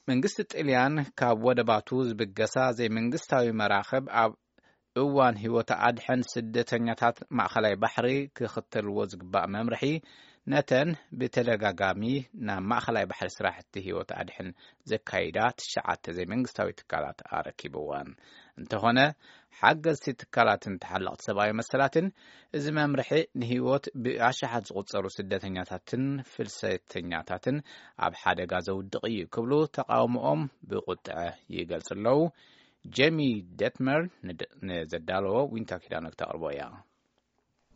መንግስቲ ጥልያን ካብ ወደባቱ ዝብገሳ ዘይመንግስታዊ መራኽብ ኣብ እዋን ህይወት ኣድሕን ስደተኛታት ማእኸላይ ባሕሪ ክኽተልዎ ዝግባእ መምርሒ፣ ነተን ብተደጋጋሚ ናብ ማእኸላይ ባሕሪ ስራሕቲ ህይወት ኣድሕን ዘካይዳ ትሽዓተ ዘይመንግስታዊ ትካላት ኣረኪብወን። እንተኾነ፣ ሓገዝቲ ትካላትን ተሓለቕቲ ሰብኣዊ መሰላትን፣ እዚ መምርሒ ንህይወት ብኣሽሓት ዝቑጸሩ ስደተኛታትን ፍልሰተኛታትን ኣብ ሓደጋ ዘውድቕ እዩ ክብሉ ተቓውሞኦም ብቁጥዐ ይገልጹ ኣለዉ። ጄሚ ደትመር ንድ-፣ ንዘዳለዎ ዊንታ ኪዳነ ክተቕርቦ እያ።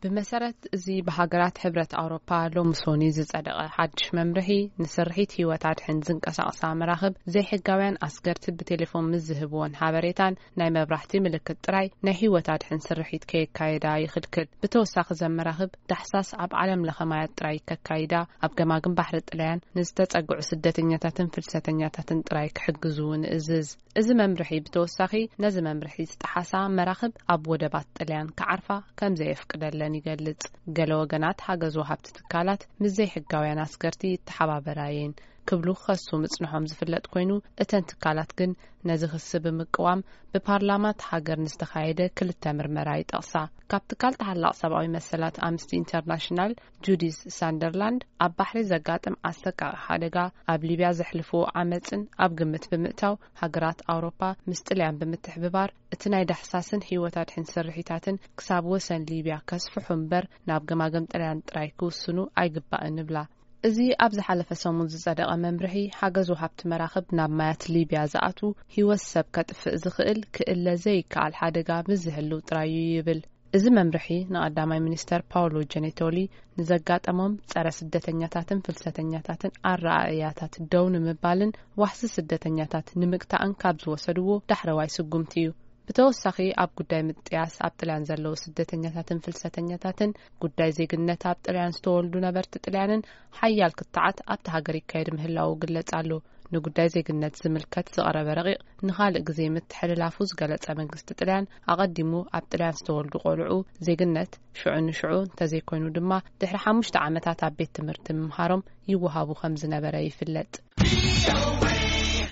ብመሰረት እዚ ብሃገራት ሕብረት ኣውሮፓ ሎሚ ሶኒ ዝጸደቐ ሓድሽ መምርሒ፣ ንስርሒት ህይወት ኣድሕን ዝንቀሳቐሳ መራኽብ ዘይሕጋውያን ኣስገርቲ ብቴሌፎን ምስ ዝህብዎን ሓበሬታን ናይ መብራህቲ ምልክት ጥራይ ናይ ህይወት ኣድሕን ስርሒት ከየካየዳ ይኽልክል። ብተወሳኺ፣ ዘን መራኽብ ዳሕሳስ ኣብ ዓለም ለኸ ማያት ጥራይ ከካይዳ፣ ኣብ ገማግም ባሕሪ ጥልያን ንዝተጸግዑ ስደተኛታትን ፍልሰተኛታትን ጥራይ ክሕግዙ እውን እዝዝ። እዚ መምርሒ ብተወሳኺ፣ ነዚ መምርሒ ዝጠሓሳ መራኽብ ኣብ ወደባት ጥልያን ክዓርፋ ከም ዘየፍቅደለን ይገልጽ። ገለ ወገናት፣ ሓገዝ ወሃብቲ ትካላት ምስ ዘይሕጋውያን ኣስገርቲ ይተሓባበራ እየን ክብሉ ክኸሱ ምጽንሖም ዝፍለጥ ኮይኑ፣ እተን ትካላት ግን ነዚ ክሲ ብምቅዋም ብፓርላማ እቲ ሃገር ንዝተኻየደ ክልተ ምርመራ ይጠቕሳ። ካብ ትካል ተሓላቕ ሰብኣዊ መሰላት ኣምነስቲ ኢንተርናሽናል ጁዲስ ሳንደርላንድ፣ ኣብ ባሕሪ ዘጋጥም ኣሰቃቒ ሓደጋ፣ ኣብ ሊብያ ዘሕልፍዎ ዓመጽን ኣብ ግምት ብምእታው፣ ሃገራት ኣውሮፓ ምስ ጥልያን ብምትሕብባር እቲ ናይ ዳሕሳስን ህይወት ኣድሕን ስርሒታትን ክሳብ ወሰን ሊብያ ከስፍሑ እምበር፣ ናብ ገማግም ጥልያን ጥራይ ክውስኑ ኣይግባእን ይብላ። እዚ ኣብ ዝሓለፈ ሰሙን ዝጸደቐ መምርሒ፣ ሓገዝ ወሃብቲ መራኽብ ናብ ማያት ሊብያ ዝኣትዉ፣ ህይወት ሰብ ከጥፍእ ዝኽእል ክእለ ዘይከኣል ሓደጋ ምስ ዝህልው ጥራይ እዩ ይብል። እዚ መምርሒ፣ ንቐዳማይ ሚኒስተር ፓውሎ ጀኔቶሊ ንዘጋጠሞም ጸረ ስደተኛታትን ፍልሰተኛታትን ኣረኣእያታት ደው ንምባልን ዋሕዚ ስደተኛታት ንምግታእን ካብ ዝወሰድዎ ዳሕረዋይ ስጉምቲ እዩ። ብተወሳኺ፣ ኣብ ጉዳይ ምጥያስ ኣብ ጥልያን ዘለዉ ስደተኛታትን ፍልሰተኛታትን፣ ጉዳይ ዜግነት ኣብ ጥልያን ዝተወልዱ ነበርቲ ጥልያንን ሓያል ክትዓት ኣብቲ ሃገር ይካየድ ምህላዉ ይግለጽ ኣሎ። ንጉዳይ ዜግነት ዝምልከት ዝቐረበ ረቂቕ ንኻልእ ግዜ ምትሕልላፉ ዝገለጸ መንግስቲ ጥልያን፣ ኣቐዲሙ ኣብ ጥልያን ዝተወልዱ ቆልዑ ዜግነት ሽዑ ንሽዑ እንተዘይኮይኑ ድማ ድሕሪ ሓሙሽተ ዓመታት ኣብ ቤት ትምህርቲ ምምሃሮም ይወሃቡ ከም ዝነበረ ይፍለጥ።